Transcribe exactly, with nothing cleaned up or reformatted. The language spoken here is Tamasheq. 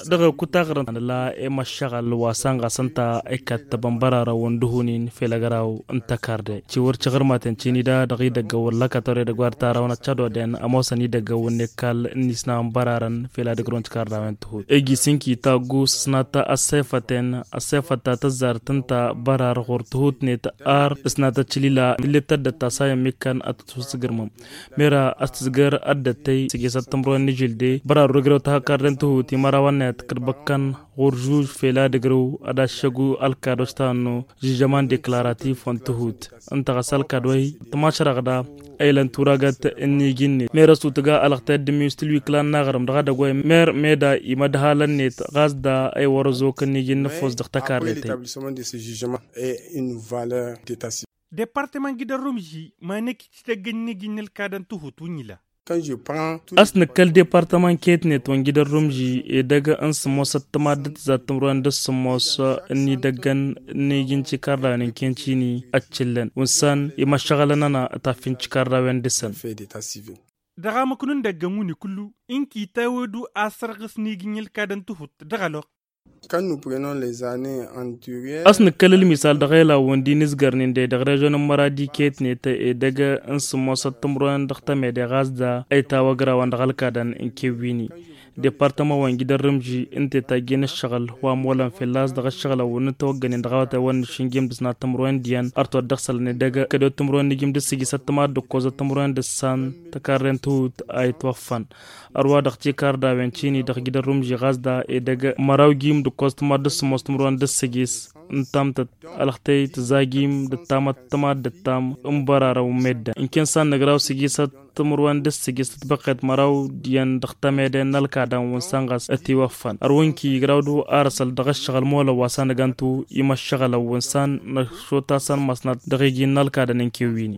Dăɣ-kutaɣrăn la i-măššăɣăl wa săn ɣas ǝnta, ikkattăbăn bărarăn wa n-dăhunin fel agraw n-tăkarde. Ciwăr căɣrămaten cini da dăɣ-idăggăwăn lăkătăwre dăgg-wa dăɣ-tara wa n-ăccădodăn ămoosăn idăggăwăn n-ekall n-isnawăn bărarăn fel ad-ǝgrǝwăn tikardawăn tǝhut iji s-inki taggu s-ăsnat ăssefăten ăssefăt ta tăzzart ǝnta bărar ɣur-tǝhutnet. Ar ǝsnat ăccǝlila tǝllet tăddăt ta s-ayǝm ikkan ad-tǝtwăsǝgrǝmăm mera a-s tǝzgăr ăddăttăy s-ejăsăt timǝrwen n-ijǝlde bărarăwăn ǝgrăw tahăkkardăn tǝhut imărawăn-net kăd-băkkăn ɣur-žuž fel ad-ǝgrǝw ad-aššăgu ălkadoj ta ănnu žijăman deklaratif wa n-tǝhut. Ǝnta ɣas ălkad wa-hi tǝmašrăɣ da a ilăn turagăt n-iji-net mer ăsutǝga ălɣătăy d-ǝmmi s-tǝlwikla n-aɣrǝm dăɣ-edăgg wa-hi mer meda imădhalăn-net ɣas da a iwărăz okănniji n-nǝffos dăɣ-tăkarrăy-tăy. Departăman gidăr rumži ma năkk icităggăn n-iji n-ălkadăn tǝhut wǝnni la. A-s nǝkkăl departăman ketnet wa n-gidăr rumži edăgg n-sǝmmos ăttămad d-tǝzzat timǝrwen d-sǝmmos n-idăggăn n-iji n-tikarrawen n-kencini ăccǝllăn wǝnsan imăššăɣălăn ăna taffin tikarrawen dăɣ-săn. Dăɣ-amăknu n-idăggăn wǝnni kullu ǝnki tawedu a sărɣǝs n-iji n-ălkadăn tǝhut dăɣ-ălwăqq. A-s nǝkkăl ǝlmisal dăɣ-ela wǝndi n-izgărnin de dăɣ-režon n-măradi ketnet edăgg n-sǝmmosăt timǝrwen dăɣ-temede ɣas da a itawăgrawăn dăɣ-ălkadăn n-kewwini. Departămăn wa n-gidăr rǝmži ǝnta i-tajjen ǝššăɣǝl wa ămolăn fălla-s dăɣ-ǝššăɣǝlăn wǝnnǝt ăwăggănen dăɣ-awătay wa n-nǝššǝnjǝm d-ǝsnat timǝrwen d-iyyăn arăt wa dd-ăɣsălăn edăgg kădo timǝrwen n-ijǝm d-ǝssǝjǝsăt tǝmad d-ǝkkozăt timǝrwen d-ǝssan tăkarren tihut a itwăffăn. Ărwa dăɣ-tikardawen cini dăɣ-gidăr rǝmži ɣas da edăgg măraw jim d-ǝkkoẓ tǝmad d-sǝmmos timǝrwen d-ǝssǝjis n-tamtăt ălxtăy tǝzajim d-ǝttamăt tǝmad d-ǝttam n-bărarăn wi n-meddǝn ǝnken s-ad-nǝgraw sǝjisăt timǝrwen d-ǝssǝjis tǝtbăqqet măraw d-iyyăn dăɣ-temede n-ălkadăn wi n-săn ɣas ătiwăffăn ărwǝnki igraw-dd arăsăl dăɣ-ǝššăɣǝl molăn wa s-ad-nǝgăntu imăššăɣǝlăn wi n-săn năšot-asăn măsnat dăɣ-iji n-ălkadăn n-kewwini.